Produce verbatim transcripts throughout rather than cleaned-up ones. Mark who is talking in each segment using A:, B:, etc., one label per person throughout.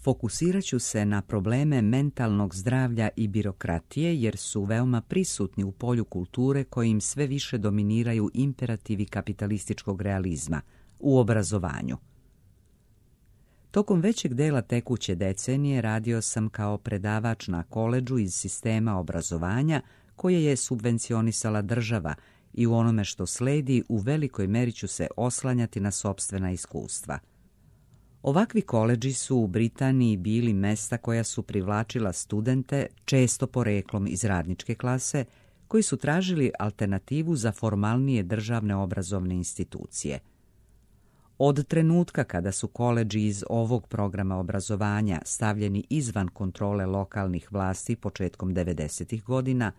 A: Fokusirat ću se na probleme mentalnog zdravlja i birokratije jer su veoma prisutni u polju kulture kojim sve više dominiraju imperativi kapitalističkog realizma u obrazovanju. Tokom većeg dela tekuće decenije radio sam kao predavač na koledžu iz sistema obrazovanja koje je subvencionisala država i u onome što sledi u velikoj meri ću se oslanjati na sopstvena iskustva. Ovakvi koledži su u Britaniji bili mesta koja su privlačila studente, često poreklom iz radničke klase, koji su tražili alternativu za formalnije državne obrazovne institucije. Od trenutka kada su koledži iz ovog programa obrazovanja stavljeni izvan kontrole lokalnih vlasti početkom devedesetih godina,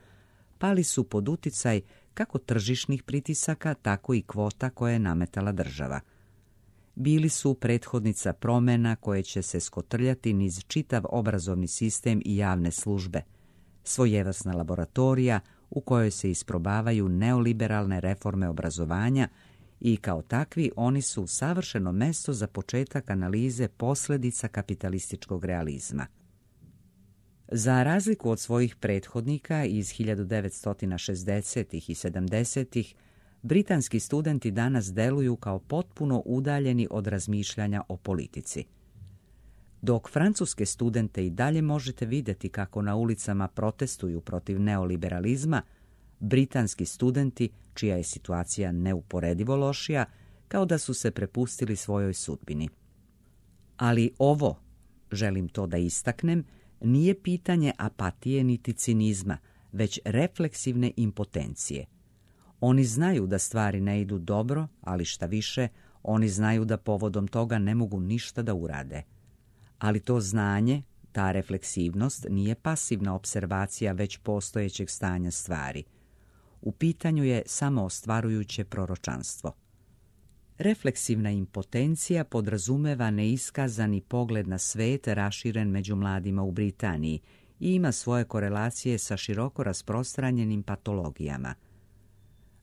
A: pali su pod uticaj kako tržišnih pritisaka, tako i kvota koje je nametala država. Bili su prethodnica promjena koje će se skotrljati niz čitav obrazovni sistem i javne službe, svojevrsna laboratorija u kojoj se isprobavaju neoliberalne reforme obrazovanja i kao takvi oni su savršeno mesto za početak analize posljedica kapitalističkog realizma. Za razliku od svojih prethodnika iz hiljadu devetsto šezdesetih i sedamdesetih, britanski studenti danas deluju kao potpuno udaljeni od razmišljanja o politici. Dok francuske studente i dalje možete vidjeti kako na ulicama protestuju protiv neoliberalizma, britanski studenti, čija je situacija neuporedivo lošija, kao da su se prepustili svojoj sudbini. Ali ovo, želim to da istaknem, nije pitanje apatije niti cinizma, već refleksivne impotencije. Oni znaju da stvari ne idu dobro, ali šta više, oni znaju da povodom toga ne mogu ništa da urade. Ali to znanje, ta refleksivnost, nije pasivna observacija već postojećeg stanja stvari. U pitanju je samo ostvarujuće proročanstvo. Refleksivna impotencija podrazumeva neiskazani pogled na svet raširen među mladima u Britaniji i ima svoje korelacije sa široko rasprostranjenim patologijama.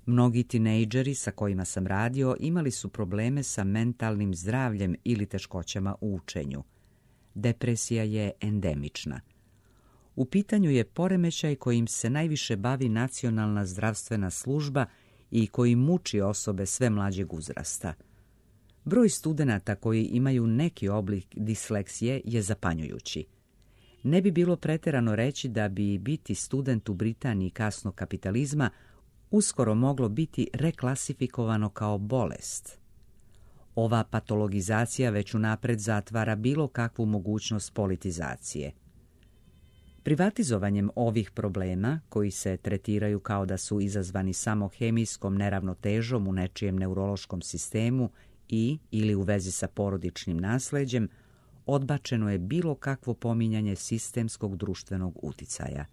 A: Mnogi tinejdžeri sa kojima sam radio imali su probleme sa mentalnim zdravljem ili teškoćama u učenju. Depresija je endemična. U pitanju je poremećaj kojim se najviše bavi Nacionalna zdravstvena služba i koji muči osobe sve mlađeg uzrasta. Broj studenata koji imaju neki oblik disleksije je zapanjujući. Ne bi bilo pretjerano reći da bi biti student u Britaniji kasnog kapitalizma uskoro moglo biti reklasifikovano kao bolest. Ova patologizacija već unapred zatvara bilo kakvu mogućnost politizacije. Privatizovanjem ovih problema, koji se tretiraju kao da su izazvani samo hemijskom neravnotežom u nečijem neurološkom sistemu i ili u vezi sa porodičnim nasleđem, odbačeno je bilo kakvo pominjanje sistemskog društvenog uticaja.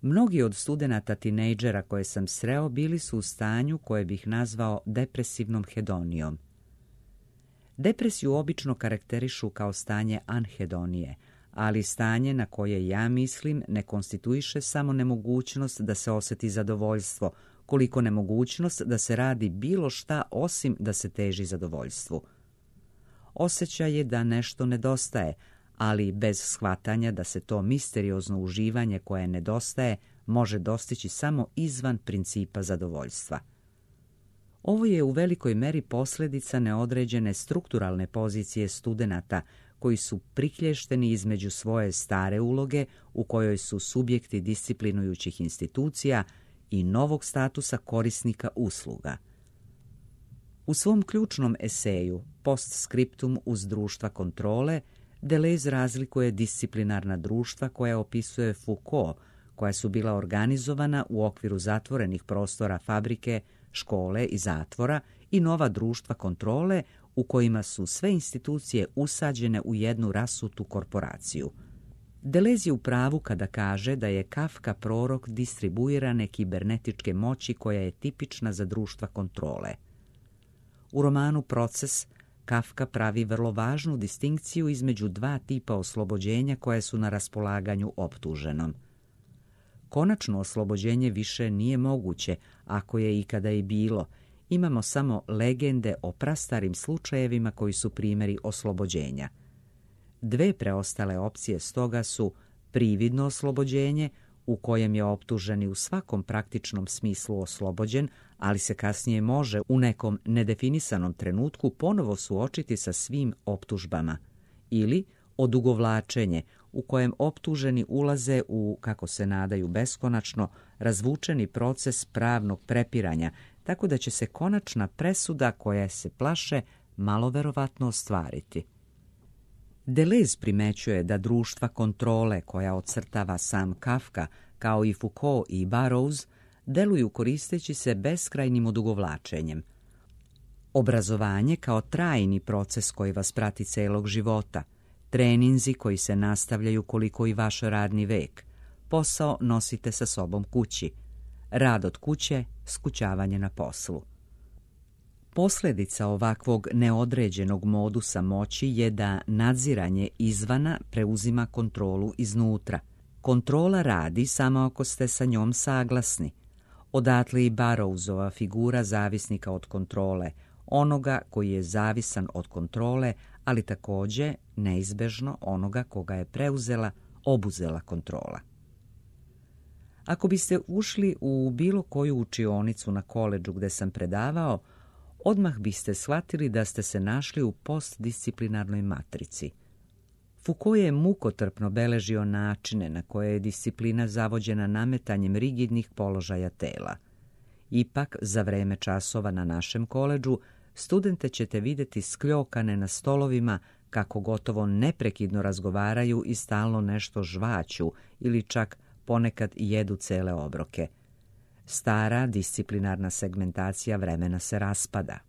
A: Mnogi od studenata tinejdžera koje sam sreo bili su u stanju koje bih nazvao depresivnom hedonijom. Depresiju obično karakterišu kao stanje anhedonije, ali stanje na koje ja mislim ne konstituiše samo nemogućnost da se osjeti zadovoljstvo, koliko nemogućnost da se radi bilo šta osim da se teži zadovoljstvu. Osjećaj je da nešto nedostaje, ali bez shvatanja da se to misteriozno uživanje koje nedostaje može dostići samo izvan principa zadovoljstva. Ovo je u velikoj meri posljedica neodređene strukturalne pozicije studenata koji su priklješteni između svoje stare uloge u kojoj su subjekti disciplinujućih institucija i novog statusa korisnika usluga. U svom ključnom eseju Postscriptum uz društva kontrole Deleuze razlikuje disciplinarna društva koja opisuje Foucault, koja su bila organizovana u okviru zatvorenih prostora fabrike, škole i zatvora, i nova društva kontrole u kojima su sve institucije usađene u jednu rasutu korporaciju. Deleuze je u pravu kada kaže da je Kafka prorok distribuirane kibernetičke moći koja je tipična za društva kontrole. U romanu Proces Kafka pravi vrlo važnu distinkciju između dva tipa oslobođenja koje su na raspolaganju optuženom. Konačno oslobođenje više nije moguće, ako je ikada i bilo. Imamo samo legende o prastarim slučajevima koji su primjeri oslobođenja. Dve preostale opcije stoga su prividno oslobođenje, u kojem je optuženi u svakom praktičnom smislu oslobođen, ali se kasnije može u nekom nedefinisanom trenutku ponovo suočiti sa svim optužbama, ili odugovlačenje, u kojem optuženi ulaze u, kako se nadaju beskonačno, razvučeni proces pravnog prepiranja, tako da će se konačna presuda koja se plaše malo verovatno ostvariti. Deleuze primećuje da društva kontrole koja ocrtava sam Kafka, kao i Foucault i Burroughs, deluju koristeći se beskrajnim odugovlačenjem. Obrazovanje kao trajni proces koji vas prati celog života, treninzi koji se nastavljaju koliko i vaš radni vek, posao nosite sa sobom kući, rad od kuće, skućavanje na poslu. Posljedica ovakvog neodređenog modusa moći je da nadziranje izvana preuzima kontrolu iznutra. Kontrola radi samo ako ste sa njom saglasni. Odatle i Burroughsova figura zavisnika od kontrole, onoga koji je zavisan od kontrole, ali također neizbežno onoga koga je preuzela, obuzela kontrola. Ako biste ušli u bilo koju učionicu na koledžu gde sam predavao, odmah biste shvatili da ste se našli u postdisciplinarnoj matrici. Foucault je mukotrpno beležio načine na koje je disciplina zavođena nametanjem rigidnih položaja tela. Ipak, za vreme časova na našem koledžu, studente ćete vidjeti skljokane na stolovima kako gotovo neprekidno razgovaraju i stalno nešto žvaću ili čak ponekad jedu cele obroke. Stara disciplinarna segmentacija vremena se raspada.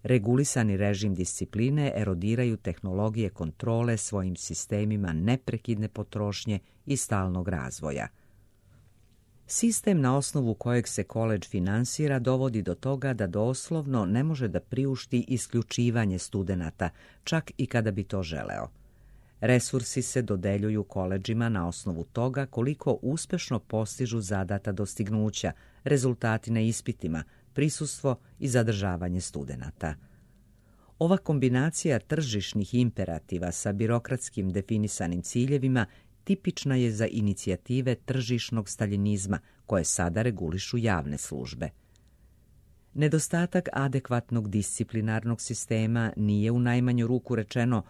A: Regulisani režim discipline erodiraju tehnologije kontrole svojim sistemima neprekidne potrošnje i stalnog razvoja. Sistem na osnovu kojeg se koledž finansira dovodi do toga da doslovno ne može da priušti isključivanje studenata, čak i kada bi to želeo. Resursi se dodeljuju koledžima na osnovu toga koliko uspešno postižu zadata dostignuća, rezultati na ispitima, prisustvo i zadržavanje studenata. Ova kombinacija tržišnih imperativa sa birokratskim definisanim ciljevima tipična je za inicijative tržišnog staljinizma koje sada regulišu javne službe. Nedostatak adekvatnog disciplinarnog sistema nije u najmanju ruku rečeno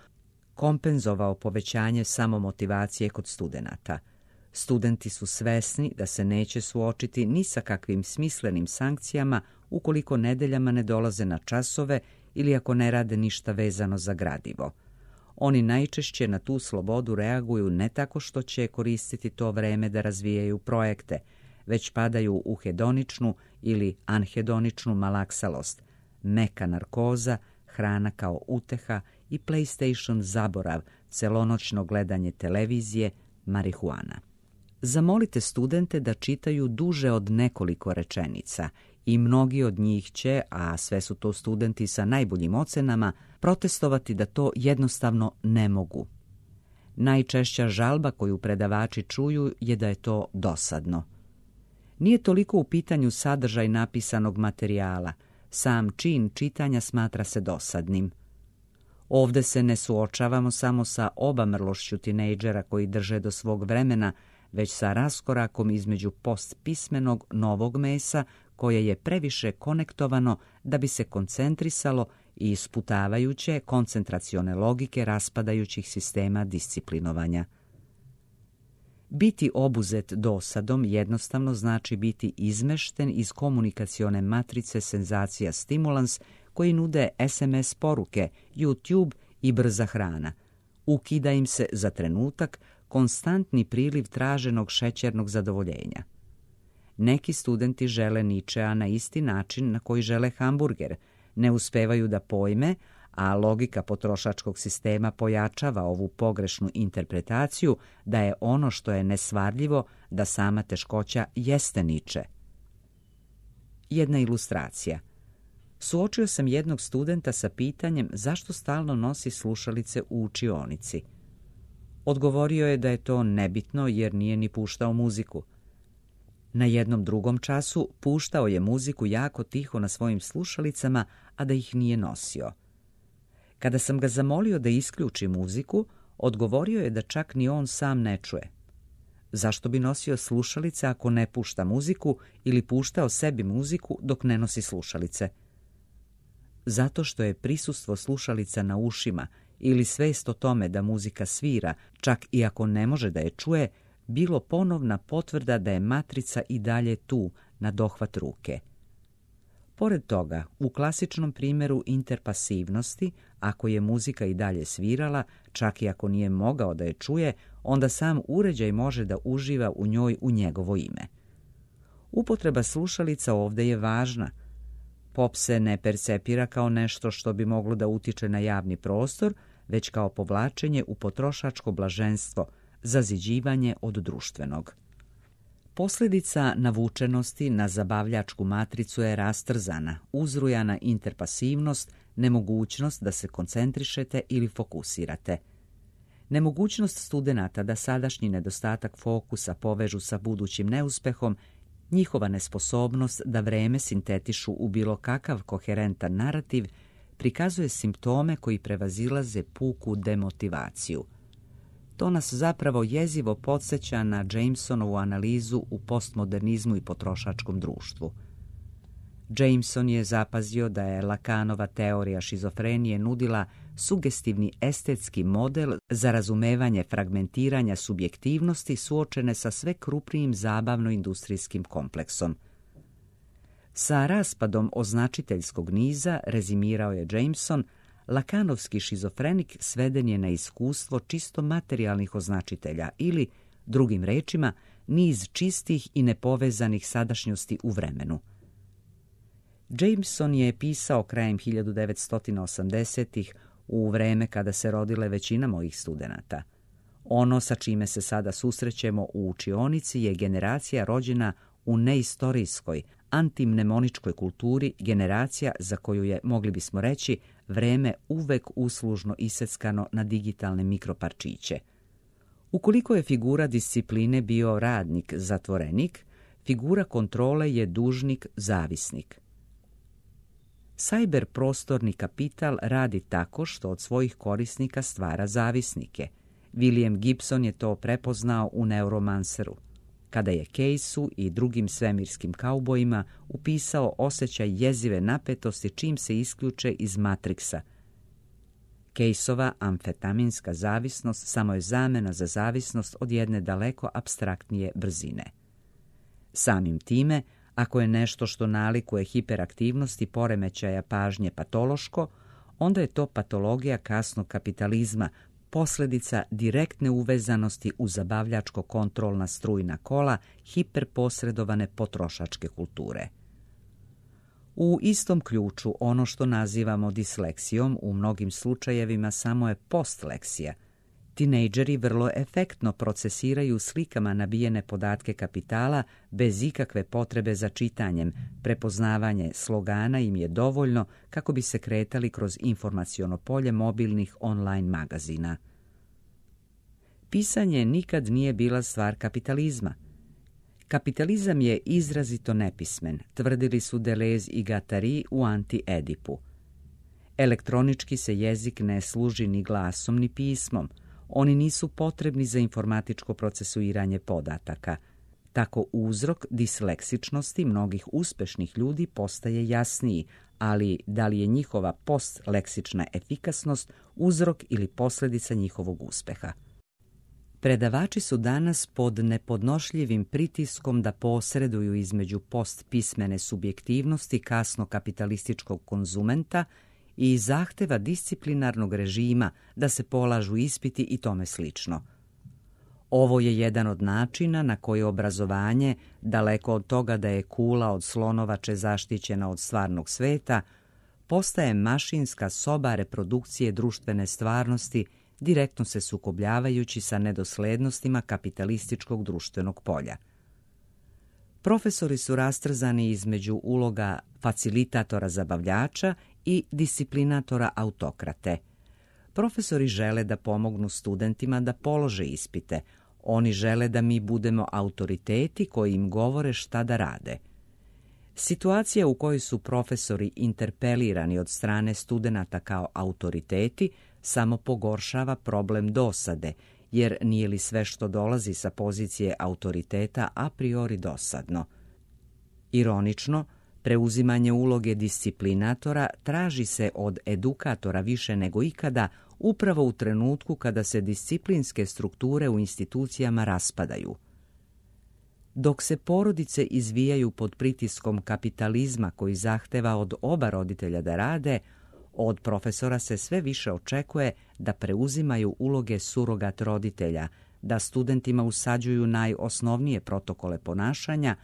A: kompenzovao povećanje samomotivacije kod studenata. Studenti su svesni da se neće suočiti ni sa kakvim smislenim sankcijama ukoliko nedeljama ne dolaze na časove ili ako ne rade ništa vezano za gradivo. Oni najčešće na tu slobodu reaguju ne tako što će koristiti to vreme da razvijaju projekte, već padaju u hedoničnu ili anhedoničnu malaksalost, meka narkoza, hrana kao uteha i PlayStation zaborav, celonoćno gledanje televizije, marihuana. Zamolite studente da čitaju duže od nekoliko rečenica i mnogi od njih će, a sve su to studenti sa najboljim ocenama, protestovati da to jednostavno ne mogu. Najčešća žalba koju predavači čuju je da je to dosadno. Nije toliko u pitanju sadržaj napisanog materijala, sam čin čitanja smatra se dosadnim. Ovde se ne suočavamo samo sa obamrlošću tinejdžera koji drže do svog vremena, već sa raskorakom između postpismenog novog mesa koje je previše konektovano da bi se koncentrisalo i isputavajuće koncentracione logike raspadajućih sistema disciplinovanja. Biti obuzet dosadom jednostavno znači biti izmešten iz komunikacione matrice senzacija stimulans koji nude es em es poruke, YouTube i brza hrana. Ukida im se za trenutak konstantni priliv traženog šećernog zadovoljenja. Neki studenti žele Ničea na isti način na koji žele hamburger, ne uspevaju da pojme, a logika potrošačkog sistema pojačava ovu pogrešnu interpretaciju da je ono što je nesvarljivo da sama teškoća jeste Niče. Jedna ilustracija. Suočio sam jednog studenta sa pitanjem zašto stalno nosi slušalice u učionici. Odgovorio je da je to nebitno jer nije ni puštao muziku. Na jednom drugom času puštao je muziku jako tiho na svojim slušalicama, a da ih nije nosio. Kada sam ga zamolio da isključi muziku, Odgovorio je da čak ni on sam ne čuje. Zašto bi nosio slušalice ako ne pušta muziku ili puštao sebi muziku dok ne nosi slušalice? Zato što je prisustvo slušalica na ušima ili svest o tome da muzika svira, čak i ako ne može da je čuje, bilo ponovna potvrda da je matrica i dalje tu, na dohvat ruke. Pored toga, u klasičnom primjeru interpasivnosti, ako je muzika i dalje svirala, čak i ako nije mogao da je čuje, onda sam uređaj može da uživa u njoj u njegovo ime. Upotreba slušalica ovdje je važna. Pop se ne percepira kao nešto što bi moglo da utiče na javni prostor, već kao povlačenje u potrošačko blaženstvo, zaziđivanje od društvenog. Posljedica navučenosti na zabavljačku matricu je rastrzana, uzrujana interpasivnost, nemogućnost da se koncentrišete ili fokusirate. Nemogućnost studenata da sadašnji nedostatak fokusa povežu sa budućim neuspehom, njihova nesposobnost da vreme sintetišu u bilo kakav koherentan narativ, prikazuje simptome koji prevazilaze puku demotivaciju. To nas zapravo jezivo podsjeća na Jamesonovu analizu u postmodernizmu i potrošačkom društvu. Jameson je zapazio da je Lacanova teorija šizofrenije nudila sugestivni estetski model za razumevanje fragmentiranja subjektivnosti suočene sa sve krupnijim zabavno-industrijskim kompleksom. Sa raspadom označiteljskog niza, rezimirao je Jameson, Lakanovski šizofrenik sveden je na iskustvo čisto materijalnih označitelja ili, drugim rečima, niz čistih i nepovezanih sadašnjosti u vremenu. Jameson je pisao krajem hiljadu devetsto osamdesetih u vreme kada se rodile većina mojih studenata. Ono sa čime se sada susrećemo u učionici je generacija rođena u neistorijskoj, antimnemoničkoj kulturi, generacija za koju je, mogli bismo reći, vreme uvek uslužno iseckano na digitalne mikroparčiće. Ukoliko je figura discipline bio radnik, zatvorenik, figura kontrole je dužnik, zavisnik. Cyber prostorni kapital radi tako što od svojih korisnika stvara zavisnike. William Gibson je to prepoznao u Neuromanceru, kada je Caseu i drugim svemirskim kaubojima upisao osjećaj jezive napetosti čim se isključe iz Matrixa. Caseova amfetaminska zavisnost samo je zamena za zavisnost od jedne daleko apstraktnije brzine. Samim time, ako je nešto što nalikuje hiperaktivnosti poremećaja pažnje patološko, onda je to patologija kasnog kapitalizma, posljedica direktne uvezanosti u zabavljačko-kontrolna strujna kola hiperposredovane potrošačke kulture. U istom ključu ono što nazivamo disleksijom u mnogim slučajevima samo je postleksija. Tinejdžeri vrlo efektno procesiraju slikama nabijene podatke kapitala bez ikakve potrebe za čitanjem. Prepoznavanje slogana im je dovoljno kako bi se kretali kroz informaciono polje mobilnih online magazina. Pisanje nikad nije bila stvar kapitalizma. Kapitalizam je izrazito nepismen, tvrdili su Deleuze i Guattari u Anti-Edipu. Elektronički se jezik ne služi ni glasom ni pismom. Oni nisu potrebni za informatičko procesuiranje podataka. Tako uzrok disleksičnosti mnogih uspešnih ljudi postaje jasniji, ali da li je njihova postleksična efikasnost uzrok ili posljedica njihovog uspeha? Predavači su danas pod nepodnošljivim pritiskom da posreduju između postpismene subjektivnosti kasno kapitalističkog konzumenta i zahteva disciplinarnog režima da se polažu ispiti i tome slično. Ovo je jedan od načina na koji obrazovanje, daleko od toga da je kula od slonovače zaštićena od stvarnog sveta, postaje mašinska soba reprodukcije društvene stvarnosti, direktno se sukobljavajući sa nedoslednostima kapitalističkog društvenog polja. Profesori su rastrzani između uloga facilitatora zabavljača i disciplinatora autokrate. Profesori žele da pomognu studentima da polože ispite. Oni žele da mi budemo autoriteti koji im govore šta da rade. Situacija u kojoj su profesori interpelirani od strane studenata kao autoriteti samo pogoršava problem dosade, jer nije li sve što dolazi sa pozicije autoriteta a priori dosadno. Ironično, preuzimanje uloge disciplinatora traži se od edukatora više nego ikada, upravo u trenutku kada se disciplinske strukture u institucijama raspadaju. Dok se porodice izvijaju pod pritiskom kapitalizma koji zahteva od oba roditelja da rade, od profesora se sve više očekuje da preuzimaju uloge surogat roditelja, da studentima usađuju najosnovnije protokole ponašanja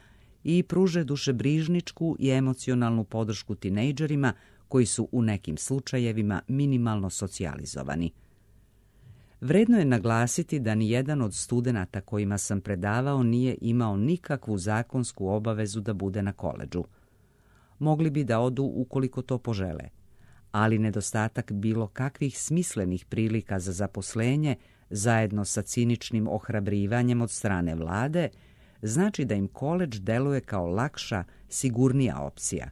A: i pruže dušebrižničku i emocionalnu podršku tinejdžerima koji su u nekim slučajevima minimalno socijalizovani. Vredno je naglasiti da ni jedan od studenata kojima sam predavao nije imao nikakvu zakonsku obavezu da bude na koledžu. Mogli bi da odu ukoliko to požele, ali nedostatak bilo kakvih smislenih prilika za zaposlenje, zajedno sa ciničnim ohrabrivanjem od strane vlade, znači da im koledž deluje kao lakša, sigurnija opcija.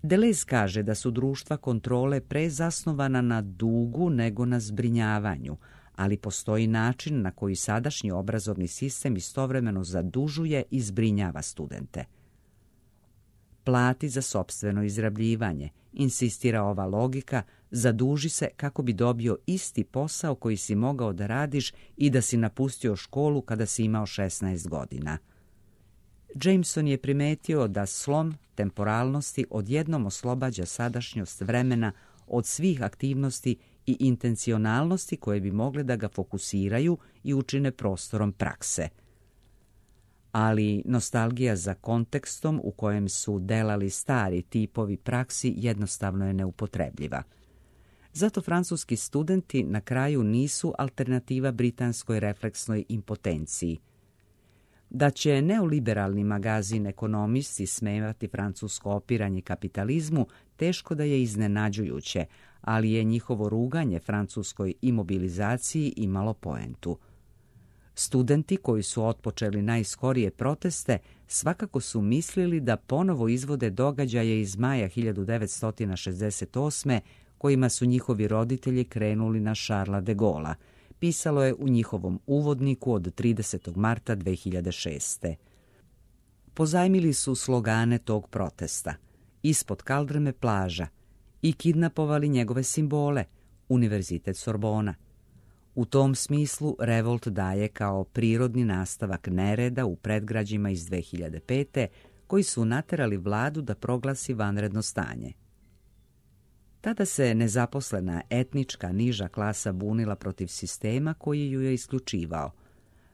A: Deleuze kaže da su društva kontrole pre zasnovana na dugu nego na zbrinjavanju, ali postoji način na koji sadašnji obrazovni sistem istovremeno zadužuje i zbrinjava studente. Plati za sopstveno izrabljivanje, insistira ova logika, zaduži se kako bi dobio isti posao koji si mogao da radiš i da si napustio školu kada si imao šesnaest godina. Jameson je primetio da slom temporalnosti odjednom oslobađa sadašnjost vremena od svih aktivnosti i intencionalnosti koje bi mogle da ga fokusiraju i učine prostorom prakse. Ali nostalgija za kontekstom u kojem su delali stari tipovi praksi jednostavno je neupotrebljiva. Zato francuski studenti na kraju nisu alternativa britanskoj refleksnoj impotenciji. Da će neoliberalni magazin Ekonomisti smevati francusko opiranje kapitalizmu, teško da je iznenađujuće, ali je njihovo ruganje francuskoj imobilizaciji imalo poentu. Studenti koji su otpočeli najskorije proteste svakako su mislili da ponovo izvode događaje iz maja hiljadu devetsto šezdeset osme kojima su njihovi roditelji krenuli na Charlesa de Gaulle'a, pisalo je u njihovom uvodniku od tridesetog marta dve hiljade šeste. Pozajmili su slogane tog protesta, ispod kaldrme plaža, i kidnapovali njegove simbole, Univerzitet Sorbona. U tom smislu revolt daje kao prirodni nastavak nereda u predgrađima iz dve hiljade pete koji su naterali vladu da proglasi vanredno stanje. Tada se nezaposlena etnička niža klasa bunila protiv sistema koji ju je isključivao,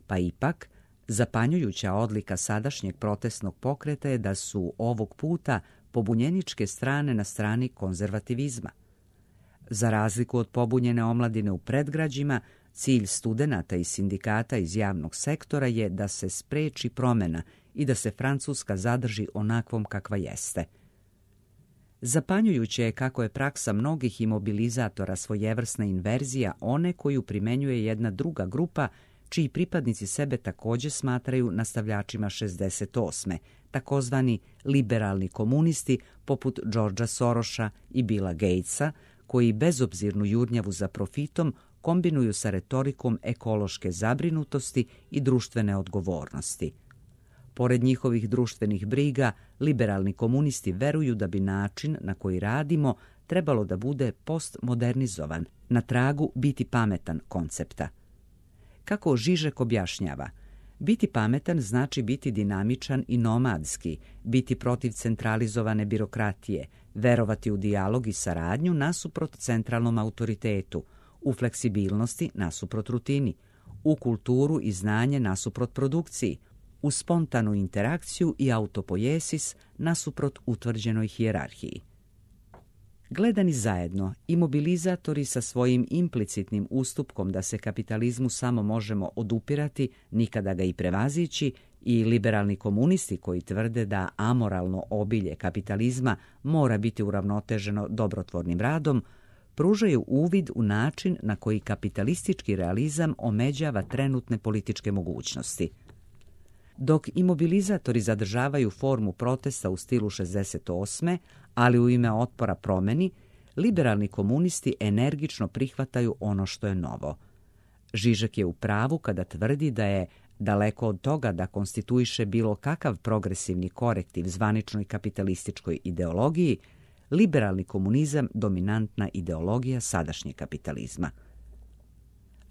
A: pa ipak zapanjujuća odlika sadašnjeg protestnog pokreta je da su ovog puta pobunjeničke strane na strani konzervativizma. Za razliku od pobunjene omladine u predgrađima, cilj studenata i sindikata iz javnog sektora je da se spreči promena i da se Francuska zadrži onakvom kakva jeste. Zapanjujuće je kako je praksa mnogih imobilizatora svojevrsna inverzija one koju primenjuje jedna druga grupa, čiji pripadnici sebe također smatraju nastavljačima šezdeset osme, takozvani liberalni komunisti poput Georgea Sorosa i Billa Gatesa, koji bezobzirnu jurnjavu za profitom kombinuju sa retorikom ekološke zabrinutosti i društvene odgovornosti. Pored njihovih društvenih briga, liberalni komunisti veruju da bi način na koji radimo trebalo da bude postmodernizovan, na tragu biti pametan koncepta. Kako Žižek objašnjava, biti pametan znači biti dinamičan i nomadski, biti protiv centralizovane birokratije, verovati u dijalog i saradnju nasuprot centralnom autoritetu, u fleksibilnosti nasuprot rutini, u kulturu i znanje nasuprot produkciji, u spontanu interakciju i autopoiesis nasuprot utvrđenoj hijerarhiji. Gledani zajedno, imobilizatori sa svojim implicitnim ustupkom da se kapitalizmu samo možemo odupirati, nikada ga i prevazići, i liberalni komunisti koji tvrde da amoralno obilje kapitalizma mora biti uravnoteženo dobrotvornim radom, pružaju uvid u način na koji kapitalistički realizam omeđava trenutne političke mogućnosti. Dok imobilizatori zadržavaju formu protesta u stilu šezdeset osme, ali u ime otpora promeni, liberalni komunisti energično prihvataju ono što je novo. Žižek je u pravu kada tvrdi da je daleko od toga da konstituiše bilo kakav progresivni korektiv zvaničnoj kapitalističkoj ideologiji, liberalni komunizam dominantna ideologija sadašnjeg kapitalizma.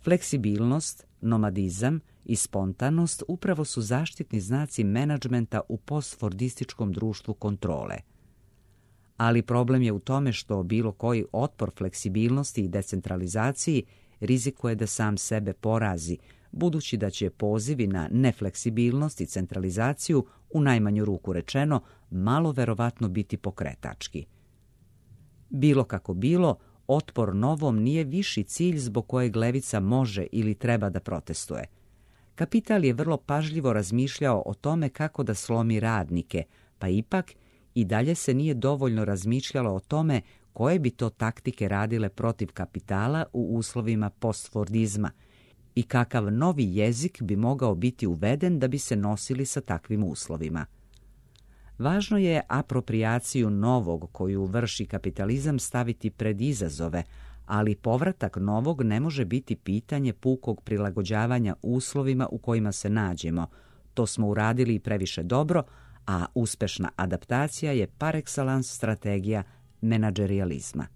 A: Fleksibilnost, nomadizam i spontanost upravo su zaštitni znaci menadžmenta u postfordističkom društvu kontrole. Ali problem je u tome što bilo koji otpor fleksibilnosti i decentralizaciji rizikuje da sam sebe porazi, budući da će pozivi na nefleksibilnost i centralizaciju, u najmanju ruku rečeno, malo verovatno biti pokretački. Bilo kako bilo, otpor novom nije viši cilj zbog kojeg levica može ili treba da protestuje. Kapital je vrlo pažljivo razmišljao o tome kako da slomi radnike, pa ipak i dalje se nije dovoljno razmišljalo o tome koje bi to taktike radile protiv kapitala u uslovima postfordizma i kakav novi jezik bi mogao biti uveden da bi se nosili sa takvim uslovima. Važno je aproprijaciju novog koju vrši kapitalizam staviti pred izazove, ali povratak novog ne može biti pitanje pukog prilagođavanja uslovima u kojima se nađemo. To smo uradili i previše dobro, a uspešna adaptacija je par excellence strategija menadžerijalizma.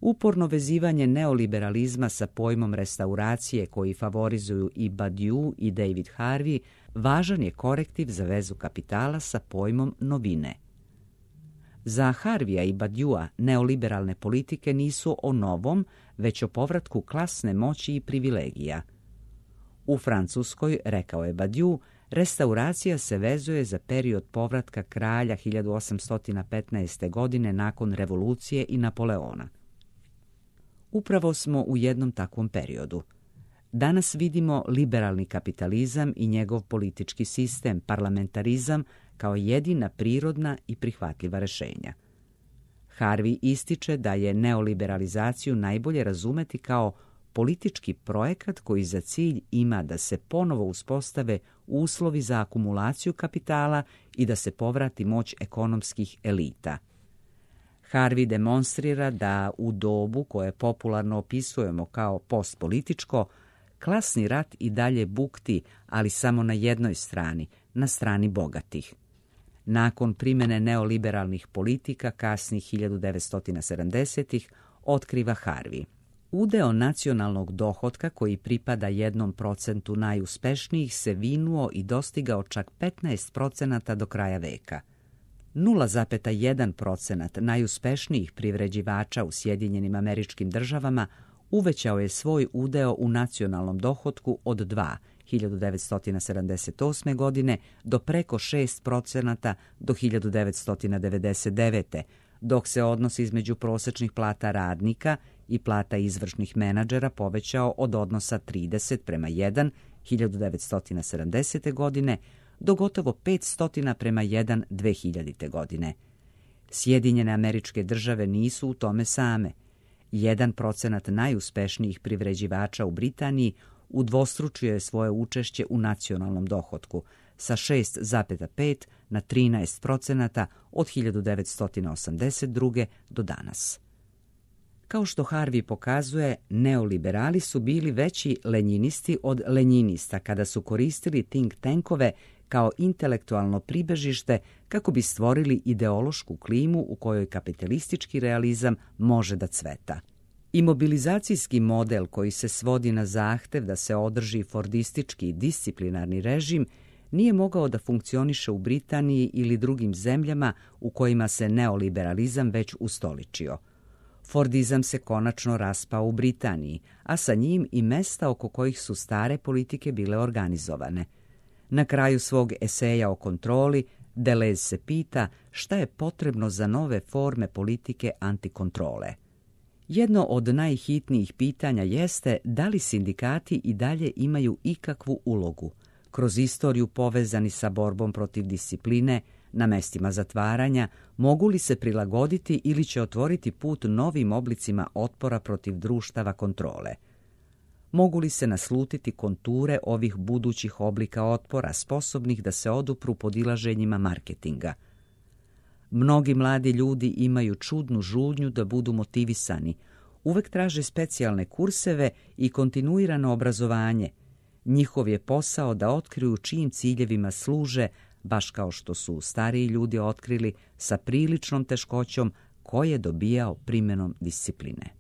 A: Uporno vezivanje neoliberalizma sa pojmom restauracije koji favorizuju i Badiou i David Harvey važan je korektiv za vezu kapitala sa pojmom novine. Za Harveya i Badioua neoliberalne politike nisu o novom, već o povratku klasne moći i privilegija. U Francuskoj, rekao je Badiou, restauracija se vezuje za period povratka kralja hiljadu osamsto petnaeste. godine nakon revolucije i Napoleona. Upravo smo u jednom takvom periodu. Danas vidimo liberalni kapitalizam i njegov politički sistem, parlamentarizam, kao jedina prirodna i prihvatljiva rješenja. Harvey ističe da je neoliberalizaciju najbolje razumeti kao politički projekat koji za cilj ima da se ponovo uspostave uslovi za akumulaciju kapitala i da se povrati moć ekonomskih elita. Harvey demonstrira da u dobu koje popularno opisujemo kao postpolitičko, klasni rat i dalje bukti, ali samo na jednoj strani, na strani bogatih. Nakon primjene neoliberalnih politika kasnih hiljadu devetsto sedamdesetih otkriva Harvey. Udeo nacionalnog dohotka koji pripada jednom procentu najuspešnijih se vinuo i dostigao čak petnaest procenata do kraja veka. nula zarez jedan procenat najuspešnijih privređivača u Sjedinjenim Američkim Državama uvećao je svoj udeo u nacionalnom dohotku od dva hiljadu devetsto sedamdeset osme. godine do preko šest procenata do hiljadu devetsto devedeset devete. dok se odnos između prosječnih plata radnika i plata izvršnih menadžera povećao od odnosa trideset prema jedan hiljadu devetsto sedamdesete. godine do gotovo petsto prema jedan dve hiljadite. godine. Sjedinjene Američke Države nisu u tome same. Jedan procenat najuspešnijih privređivača u Britaniji udvostručio je svoje učešće u nacionalnom dohotku sa šest zarez pet na trinaest procenata od hiljadu devetsto osamdeset druge. do danas. Kao što Harvey pokazuje, neoliberali su bili veći lenjinisti od lenjinista kada su koristili think tankove kao intelektualno pribežište kako bi stvorili ideološku klimu u kojoj kapitalistički realizam može da cveta. Imobilizacijski model koji se svodi na zahtev da se održi fordistički disciplinarni režim nije mogao da funkcioniše u Britaniji ili drugim zemljama u kojima se neoliberalizam već ustoličio. Fordizam se konačno raspao u Britaniji, a sa njim i mesta oko kojih su stare politike bile organizovane. Na kraju svog eseja o kontroli, Deleuze se pita šta je potrebno za nove forme politike antikontrole. Jedno od najhitnijih pitanja jeste da li sindikati i dalje imaju ikakvu ulogu, kroz istoriju povezani sa borbom protiv discipline, na mestima zatvaranja, mogu li se prilagoditi ili će otvoriti put novim oblicima otpora protiv društava kontrole. Mogu li se naslutiti konture ovih budućih oblika otpora sposobnih da se odupru podilaženjima marketinga? Mnogi mladi ljudi imaju čudnu žudnju da budu motivisani. Uvek traže specijalne kurseve i kontinuirano obrazovanje. Njihov je posao da otkriju čijim ciljevima služe, baš kao što su stariji ljudi otkrili sa priličnom teškoćom ko je dobijao primjenom discipline.